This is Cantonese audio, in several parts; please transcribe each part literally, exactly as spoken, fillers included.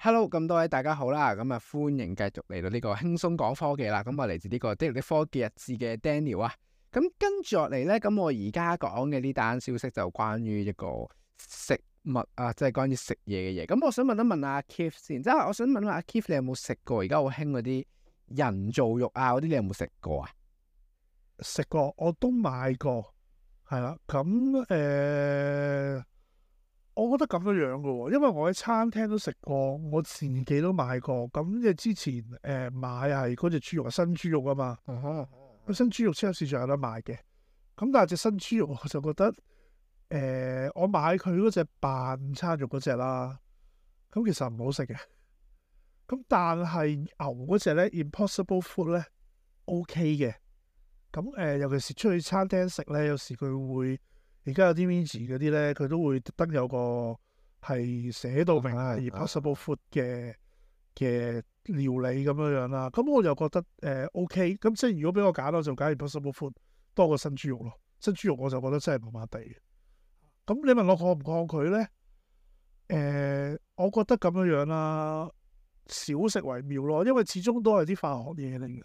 Hello，咁多位大家好啦，咁啊歡迎繼續嚟到呢個輕鬆講科技啦。咁我嚟自呢個 Daniel 的科技日誌嘅 Daniel 啊。咁跟住落嚟呢，咁我而家講嘅呢單消息就關於一個食物啊，即係關於食嘢嘅嘢。咁我想問一問阿 Keith 先，即係我想問一問阿 Keith，你有冇食過而家好興嗰啲人造肉啊嗰啲？你有冇食過啊？食過，我都買過，係啦。咁誒、呃，我覺得咁樣樣嘅喎，因為我喺餐廳都食過，我自己都買過。咁即係之前誒、呃、買係嗰隻豬肉係新豬肉啊嘛，咁、uh huh. 新豬肉超級市場有得賣嘅。咁但係隻新豬肉我就覺得誒、呃，我買佢嗰隻扮餐肉嗰隻啦，咁其實唔好食嘅。咁但係牛嗰隻咧 Impossible Food 咧 OK 嘅。咁誒、呃，尤其是出去餐廳食咧，有時佢會而家有啲 Veggie 嗰啲咧，佢都會特登有個係寫到明係 Impossible Food 嘅嘅料理咁樣樣啦。咁我就覺得誒、呃、OK。咁即係如果俾我揀，我就揀 Impossible Food 多過新豬肉咯。新豬肉我就覺得真係麻麻地嘅。咁你問我抗唔抗拒咧？誒、呃，我覺得咁樣樣啦，少食為妙咯，因為始終都係啲化學嘢嚟嘅。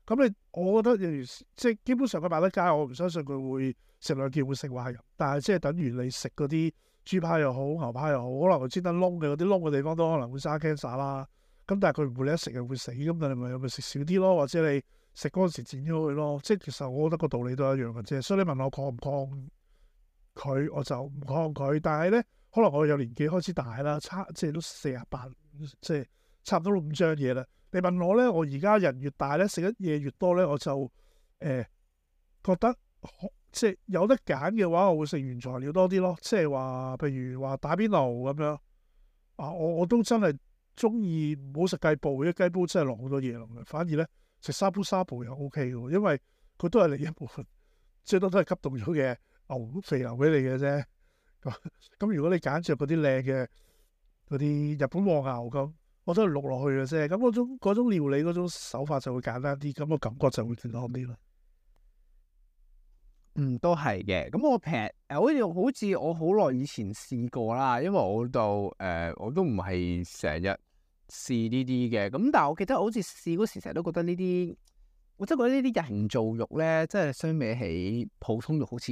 咁你，我覺得例如即係基本上佢賣得街，我唔相信佢會食兩件會食壞人。但係即係等於你食嗰啲豬扒又好、牛扒又好，可能佢專登窿嘅嗰啲窿嘅地方都可能會生 cancer 啦。咁但係佢唔會你一食就會死，咁但係咪咪食少啲咯，或者你食嗰陣時剪咗佢咯。即係其實我覺得個道理都一樣嘅啫。所以你問我抗唔抗拒，我就唔抗拒。但係咧，可能我有年紀開始大啦，差即係都四十八，即係差唔多五張嘢啦。你問我咧，我而家人越大咧，食得嘢越多咧，我就誒、呃、覺得即係有得揀嘅話，我會食原材料多啲咯。即係話，譬如話打邊爐咁樣啊，我我都真係中意唔好食雞煲，因為雞煲真係落好多嘢落去。反而咧食沙煲沙煲又 O K 嘅，因為佢都係另一部分，最多都係急凍咗嘅牛肥牛俾你嘅啫。咁咁如果你揀着嗰啲靚嘅嗰啲日本和牛咁。我都係錄落去嘅啫，咁嗰種嗰種料理嗰種手法就會簡單啲，咁個感覺就會健康啲啦。嗯，都係嘅。咁我平誒，好似好似我好耐以前試過啦，因為我到誒、呃、我都唔係成日試呢啲嘅。咁但係我記得我好似試嗰時，成日都覺得呢啲，我真係覺得呢啲人造肉咧，即係相比起普通肉好似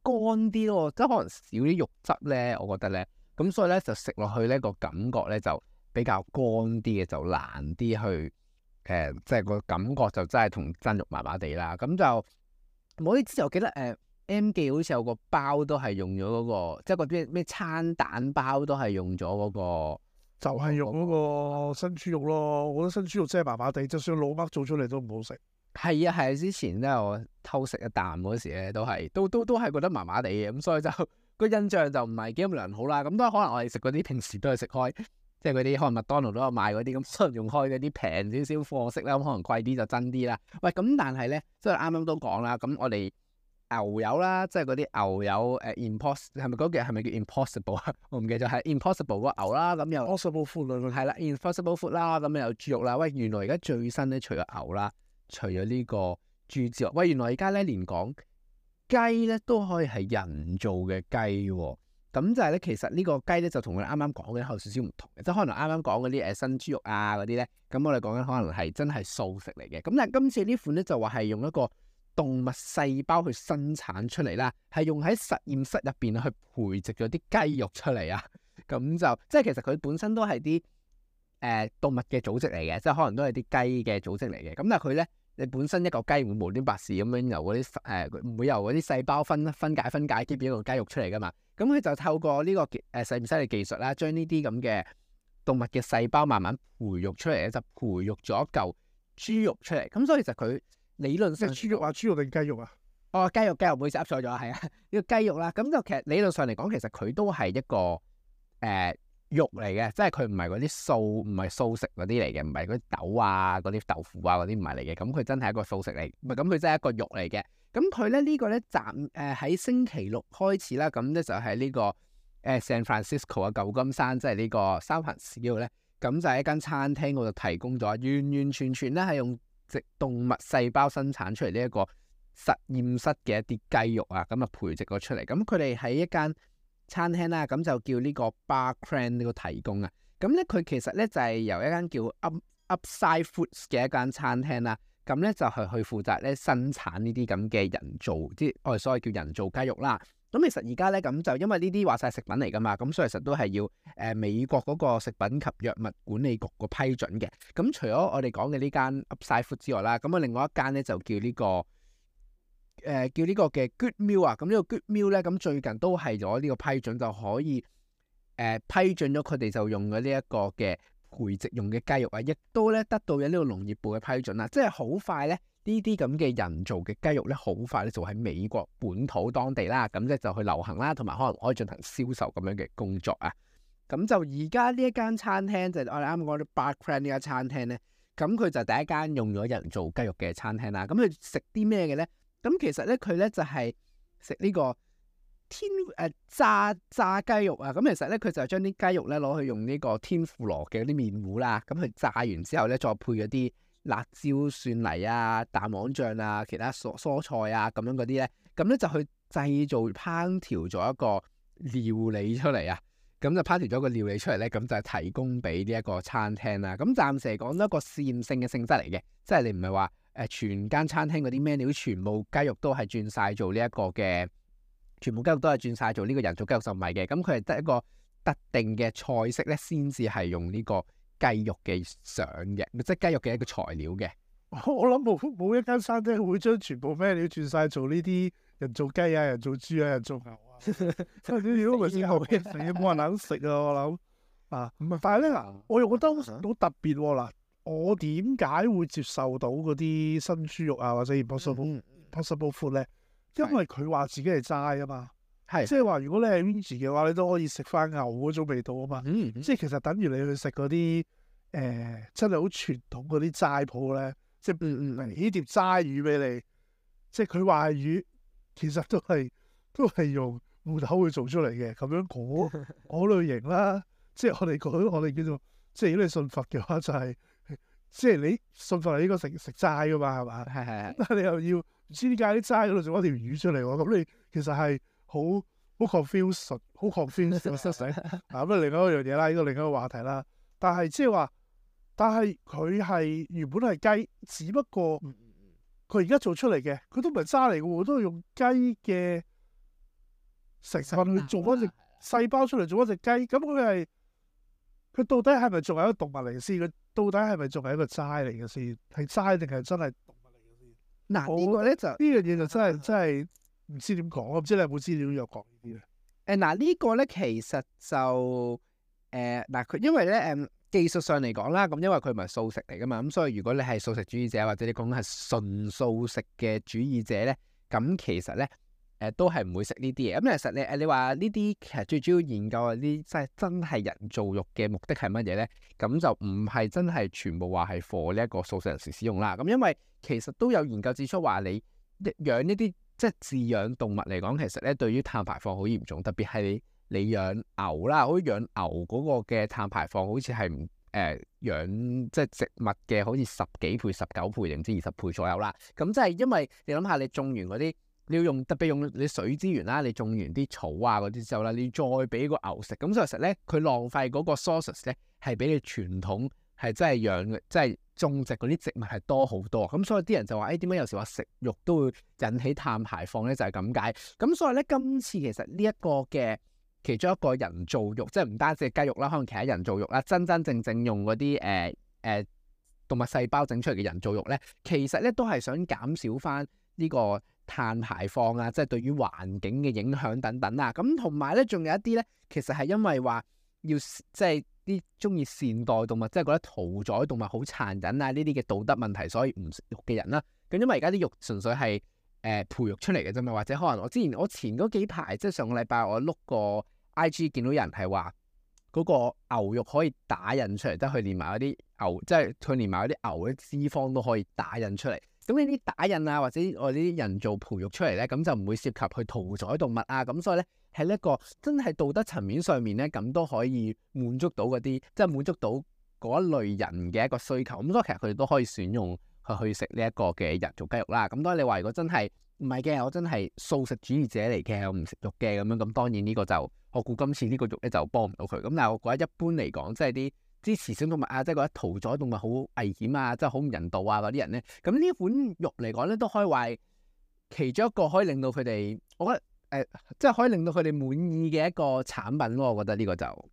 乾啲咯，即係可能少啲肉質咧。我覺得咧，咁所以咧就食落去咧個感覺咧就比較乾啲嘅，就難啲去誒、呃，即係個感覺就真係同真肉麻麻地啦。咁就我啲之前我記得誒、呃、M 記好似有個包都係用咗嗰、嗰個，即係個啲咩餐蛋包都係用咗嗰、嗰個，就係用嗰個新豬肉咯。我覺得新豬肉真係麻麻地，就算老麥做出嚟都唔好食。係啊係啊，之前咧我偷食一啖嗰時咧都係都都都係覺得麻麻地嘅，咁所以就個印象就唔係幾咁良好啦。咁都可能我哋食嗰啲平時都係食開。即係嗰啲可能麥當勞都有賣嗰啲，咁可能用開嗰啲平少少貨色啦，咁可能貴啲就真啲啦。喂，咁但係咧，即係啱啱都講啦，咁我哋牛油啦，即係嗰啲牛油誒、呃、impos 係咪嗰個係咪叫 impossible 啊？我唔記得咗，係 impossible 個牛啦，咁又 Impossible Food 係啦 impossible food 啦，咁又有豬肉啦。喂，原來而家最新咧，除咗牛啦，除咗呢個豬之外，喂，原來而家咧連講雞咧都可以係人造嘅雞喎。咁就係咧，其實呢個雞咧就同我哋啱啱講嘅有少少唔同嘅，即係可能啱啱講嗰啲誒新豬肉啊嗰啲咧，咁我哋講緊可能係真係素食嚟嘅。咁但係今次呢款咧就話係用一個動物細胞去生產出嚟啦，係用喺實驗室入邊去培植咗啲雞肉出嚟啊。咁就即係其實佢本身都係啲誒動物嘅組織嚟嘅，即係可能都係啲雞嘅組織嚟嘅。咁但係佢咧，你本身一個雞會無端白事咁樣由嗰啲誒唔會由嗰啲細胞分分解分解，結變一個雞肉出嚟噶嘛。咁佢就透過呢個誒實驗室嘅技術啦，將呢啲咁嘅動物嘅細胞慢慢培育出嚟咧，就培育咗一嚿豬肉出嚟。咁所以其實佢理論上即係豬肉啊，豬肉定雞肉啊？哦，雞肉雞肉唔好意思噏錯咗，係啊，呢個雞肉啦。咁就其實理論上嚟講，其實佢都係一個誒、呃、肉嚟嘅，即係佢唔係嗰啲素唔係素食嗰啲嚟嘅，唔係嗰啲豆啊、嗰啲豆腐啊嗰啲唔係嚟嘅。咁佢真係一個素食嚟，唔係咁佢真係一個肉嚟嘅。咁佢咧呢個咧暫誒喺星期六開始啦，咁咧就喺呢個誒 San Francisco 啊舊金山，即係呢個三藩市嗰度咧，咁就喺一間餐廳嗰度提供咗，完完全全咧係用植動物細胞生產出嚟呢一個實驗室嘅一啲雞肉啊，咁啊培植咗出嚟。咁佢哋喺一間餐廳啦，咁就叫呢個 Bar Cran 呢個提供啊。咁咧佢其實咧就係由一間叫 Up Upside Foods 嘅一間餐廳啦。咁咧就係去負責咧生產呢啲咁嘅人造，即係我哋所謂叫人造雞肉啦。咁其實而家咧咁就因為呢啲話晒食品嚟噶嘛，咁所以其實都係要誒、呃、美國嗰個食品及藥物管理局個批准嘅。咁除咗我哋講嘅呢間 Upside Food 之外啦，咁啊另外一間咧就叫呢、這個誒、呃、叫呢個嘅 Good Meal 啊。咁呢個 Good Meal 咧咁最近都係攞呢個批准就可以誒、呃、批准咗佢哋就用咗呢一個嘅培植用嘅雞肉啊，亦都咧得到咗呢個農業部嘅批准啦。即係好快咧，呢啲咁嘅人造嘅雞肉咧，好快咧就喺美國本土當地啦，咁即就去流行啦，同埋可能可以進行銷售咁樣嘅工作啊。咁就而家呢一間餐廳就係、我哋啱啱講到 Barcran 呢間餐廳咧，咁佢就第一間用咗人造雞肉嘅餐廳啦。咁佢食啲咩嘅咧？咁其實咧佢咧就係食呢個天誒、呃、炸炸雞肉啊。咁其實咧佢就將啲雞肉咧攞去用呢個天婦羅嘅啲麵糊啦，咁佢炸完之後咧再配嗰啲辣椒、蒜泥啊、蛋黃醬啊、其他蔬蔬菜啊咁樣嗰啲咧，咁咧就去製造烹調咗一個料理出嚟啊。咁就烹調咗個料理出嚟咧，咁就係提供俾呢一個餐廳啦。咁暫時嚟講都一個試驗性嘅性質嚟嘅，即係你唔係話誒全間餐廳嗰啲 menu 全部雞肉都係轉晒做呢一個嘅，全部雞肉都係轉晒做呢個人造雞肉就唔係嘅。咁佢係得一個特定嘅菜式咧，先至係用呢個雞肉嘅相嘅，即係雞肉嘅一個材料嘅。我諗冇冇一間餐廳會將全部 menu 轉晒做呢啲人造雞啊、人造豬啊、人造牛啊。真係如果唔係之後嘅死冇人肯食啊！我諗啊，但係咧嗱，我又覺得好特別喎嗱。我點解會接受到嗰啲新豬肉啊或者 impossible impossible food 咧？因為佢話自己係齋啊嘛，係即係話如果你係 vegan 嘅話，你都可以食翻牛嗰種味道啊嘛。嗯即係其實等於你去食嗰啲誒真係好傳統嗰啲齋鋪咧，即係嗯嗯起碟齋魚俾你，即係佢話係魚，其實都係都係用芋頭去做出嚟嘅，咁樣嗰嗰類型啦。即係我哋講我哋叫做，即係如果你信佛嘅話，就係、是、即係你信佛係應該食食齋噶嘛，係嘛？係係係。但係你又要唔知點解啲齋嗰度做一條魚出嚟喎？咁你其實係好好 confused，好 confused 啊！咁啊，另外一樣嘢啦，呢個另一個話題啦。但係即係話，但係佢係原本係雞，只不過佢而家做出嚟嘅，佢都唔係齋嚟嘅喎，都係用雞嘅成分去做嗰隻細胞出嚟做一隻雞。咁佢係佢到底係咪仲係一個動物嚟先？佢到底係咪仲係一個齋嚟嘅先？係齋定係真係動物嚟嘅先？嗱、我呢個咧就呢樣嘢就真係真係唔知點講，我唔知你有冇資料有講呢啲咧？誒嗱呢個咧其實就誒嗱佢因為咧誒、嗯、技術上嚟講啦，咁因為佢唔係素食嚟噶嘛，咁所以如果你係素食主義者或者你講緊係純素食嘅主義者咧，咁其實咧誒、呃、都係唔會食呢啲嘢。咁其實你誒你話呢啲其實最主要研究嗰啲即係真係人造肉嘅目的係乜嘢咧？咁就唔係真係全部話係 for 呢一個素食人士使用啦。咁因為其實都有研究指出話你養呢啲即係飼養動物嚟講，其實咧對於碳排放好嚴重，特別係你你養牛啦，好似養牛嗰個嘅碳排放好似係唔誒養即係植物嘅好似十幾倍、十九倍定唔知二十倍左右啦。咁即係因為你諗下，你種完嗰啲你要用特別用你水資源啦，你種完啲草啊嗰啲之後啦，你再俾個牛食，咁所以其實咧佢浪費嗰個 sources 咧係比你傳統係真係養嘅，即係種植嗰啲植物係多好多。咁所以啲人就話：誒點解有時話食肉都會引起碳排放咧？就係咁解。咁所以咧，今次其實呢一個嘅其中一個人造肉，即係唔單止係雞肉啦，可能其他人造肉啦，真真正正用嗰啲誒誒動物細胞整出嚟嘅人造肉咧，其實咧都係想減少翻呢個碳排放啊，即係對於環境嘅影響等等啊。咁同埋咧，仲有一啲咧，其實係因為話要即係啲中意善待動物，即係覺得屠宰動物好殘忍啊呢啲嘅道德問題，所以唔食肉嘅人啦。咁因為而家啲肉純粹係誒、呃、培育出嚟嘅啫嘛，或者可能我之前我前嗰幾排即係上個禮拜我碌個 I G 見到有人係話嗰個牛肉可以打印出嚟，即係佢連埋嗰啲牛，即係佢連埋嗰啲牛嘅脂肪都可以打印出嚟。咁呢啲打印啊，或者我呢啲人造培育出嚟咧，咁就唔會涉及去屠宰動物啊。咁所以咧，係一個真係道德層面上面咧，咁都可以滿足到嗰啲，即係滿足到嗰一類人嘅一個需求。咁所以其實佢哋都可以選用去去食呢一個嘅人造雞肉啦。咁當然你話如果真係唔係嘅，我真係素食主義者嚟嘅，我唔食肉嘅咁樣。咁當然呢個就我估今次呢個肉咧就幫唔到佢。咁但係我覺得一般嚟講，即係啲支持小動物啊，即係覺得屠宰動物好危險啊，即係好唔人道啊嗰啲人咧，咁呢款肉嚟講咧都可以話係其中一個可以令到佢哋，我覺得誒、呃，即係可以令到佢哋滿意嘅一個產品咯。我覺得呢個就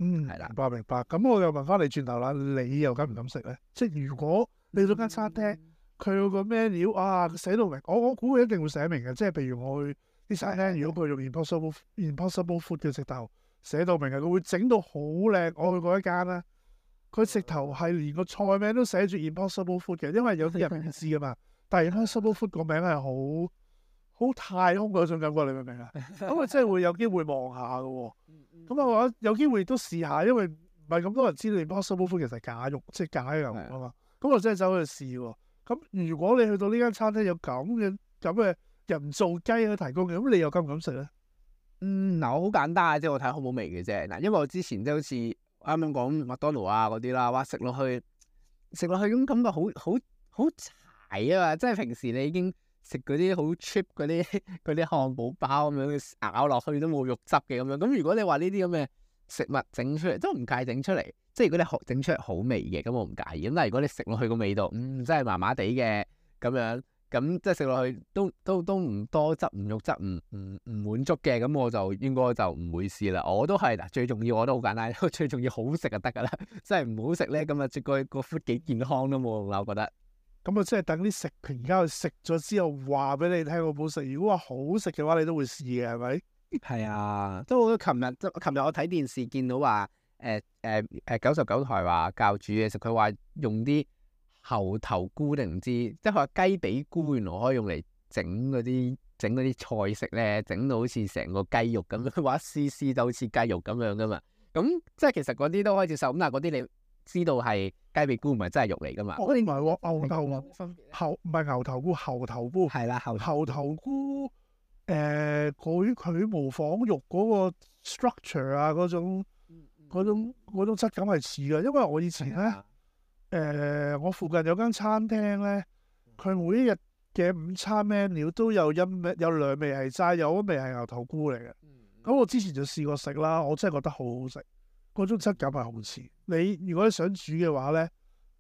嗯，係啦明白明白。咁我又問翻你轉頭啦，你又敢唔敢食咧？即係如果你到間餐廳，佢有個 menu 啊，寫到明，我我估佢一定會寫明嘅。即係譬如我去啲餐廳，如果佢用 impossible impossible food 嘅直頭寫到明嘅，佢會整到好靚。我去過一間啦，佢直頭係連個菜名都寫住 impossible food 嘅，因為有啲人唔知噶嘛。但係 impossible food 個名係好好太空嗰種感覺，你明唔明啊？咁啊，真係會有機會望下嘅喎。咁我話有機會都試下，因為唔係咁多人知道 impossible food 其實係假肉，即係假牛啊嘛。咁我真係走去試喎。咁如果你去到呢間餐廳有咁嘅咁嘅人造雞去提供嘅，咁你又敢唔敢食咧？嗯，嗱，我好簡單嘅啫，我睇好唔好味嘅啫。嗱，因為我之前即係好似啱啱講麥當勞啊嗰啲啦，哇，食落去食落去咁感覺好好好柴啊嘛，即係平時你已經食嗰啲好 cheap 嗰啲嗰啲漢堡包咁樣咬落去都冇肉汁嘅咁樣。咁如果你話呢啲咁嘅食物整出嚟，都唔介意整出嚟。即係如果你學整出嚟好味嘅，咁我唔介意。咁但係如果你食落去個味道，嗯，真係麻麻地嘅咁樣，咁即係食落去都都都唔多汁唔肉汁唔唔唔滿足嘅，咁我就應該就唔會試啦。我都係嗱，最重要我都好簡單，最重要好食就得㗎啦。即係唔好食咧，咁啊，即個個 food 幾健康都冇用啦，我覺得。咁啊，即係等啲食評家去食咗之後話俾你聽好唔好食。如果話好食嘅話，你都會試嘅，係咪？係啊，即係我琴日即琴日我睇電視見到話。誒誒誒九十九台話教煮嘢食，佢話用啲猴頭菇定唔知，即係佢話雞髀菇原來可以用嚟整嗰啲整嗰啲菜式咧，整到好似成個雞肉咁樣，佢話一絲絲就好似雞肉咁樣噶嘛。咁即係其實嗰啲都可以接受，咁但係嗰啲你知道係雞髀菇唔係真係肉嚟噶嘛？我唔係喎，牛頭猴唔係牛頭菇，猴頭菇係啦，猴猴頭菇誒，佢佢模仿肉嗰個 structure 啊嗰種。嗰種嗰種質感係似嘅，因為我以前咧，誒、呃，我附近有間餐廳咧，佢每一日嘅午餐 menu 都有一味有兩味係齋，有一味係牛頭菇嚟嘅。咁、嗯、我之前就試過食啦，我真係覺得好好食，嗰種質感係好似。你如果你想煮嘅話咧，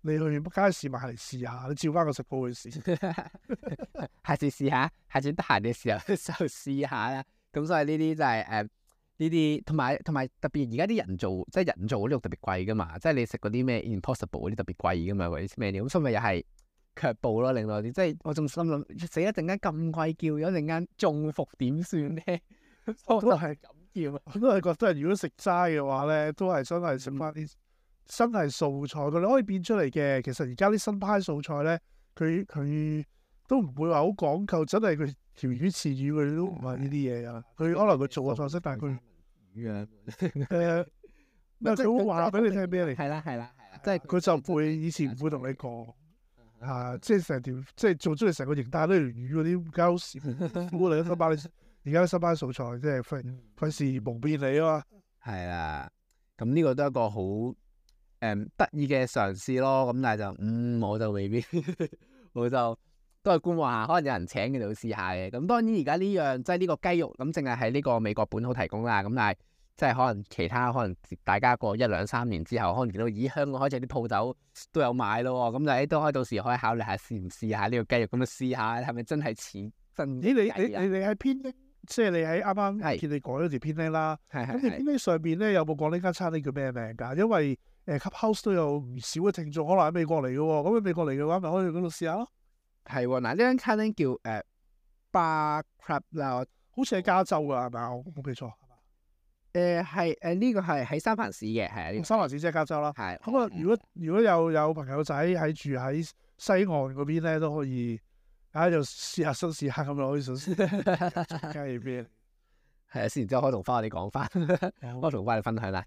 你去街市買嚟試下，你照翻個食譜去試。下次試下，下次得閒嘅時候就試下啦。咁所以呢啲就係、是、誒。呃呢啲同埋同埋特別而家啲人造即係人造嗰啲肉特別貴噶嘛，即係你食嗰啲咩 Impossible 嗰啲特別貴噶嘛，或者咩料咁，所以咪又係卻步咯，令到啲即係我仲心諗死一陣間咁貴叫，有一陣間中伏點算咧？我都係咁叫，我都係覺得如果食齋嘅話咧，都係真係食翻啲真係素菜，佢哋可以變出嚟嘅。其實而家啲新派素菜咧，佢佢都唔會話好講究，真係佢條魚翅魚佢都唔係呢啲嘢啊。佢可能佢做個菜式，但係佢。誒，咩佢會話俾你聽咩嚟？係啦係啦係啦，即係佢就唔會以前唔會同你講嚇，即係成條即係做出嚟成個形態都係魚嗰啲膠絲，估你新班而家新班素菜，即係費費事蒙騙你啊嘛。係啦，咁呢個都係一個好誒得意嘅嘗試咯。咁但係就嗯我就未必，我就。都係觀望下，可能有人請佢哋去試下嘅。咁當然而家呢樣即係呢個雞肉咁，淨係喺呢個美國本土提供啦。咁但係即係可能其他可能大家過一兩三年之後，可能見到咦香港開始啲鋪頭都有買咯。咁就誒都可以到時可以考慮下試唔試下呢個雞肉，咁樣試下係咪真係似真？咦？你你你你喺編拎，即係你喺啱啱見你改咗條編拎啦。係係。咁條編拎上邊咧有冇講呢間餐廳叫咩名㗎？因為誒 Clubhouse 都有唔少嘅聽眾可能喺美國嚟嘅喎。咁喺美國嚟嘅話，咪可以去嗰度試下咯。係喎，嗱呢間餐廳叫誒 Bar Club 啦，好似喺加州㗎，係咪啊？我冇記錯。誒係誒呢個係喺三藩市嘅，係啊，三藩市即係加州啦。係。咁啊，如果如果有有朋友仔喺住喺西岸嗰邊咧，都可以喺度試下新試下咁樣可以試試。加入邊？係啊，試完之後可以同翻我哋講翻，我同翻你分享啦。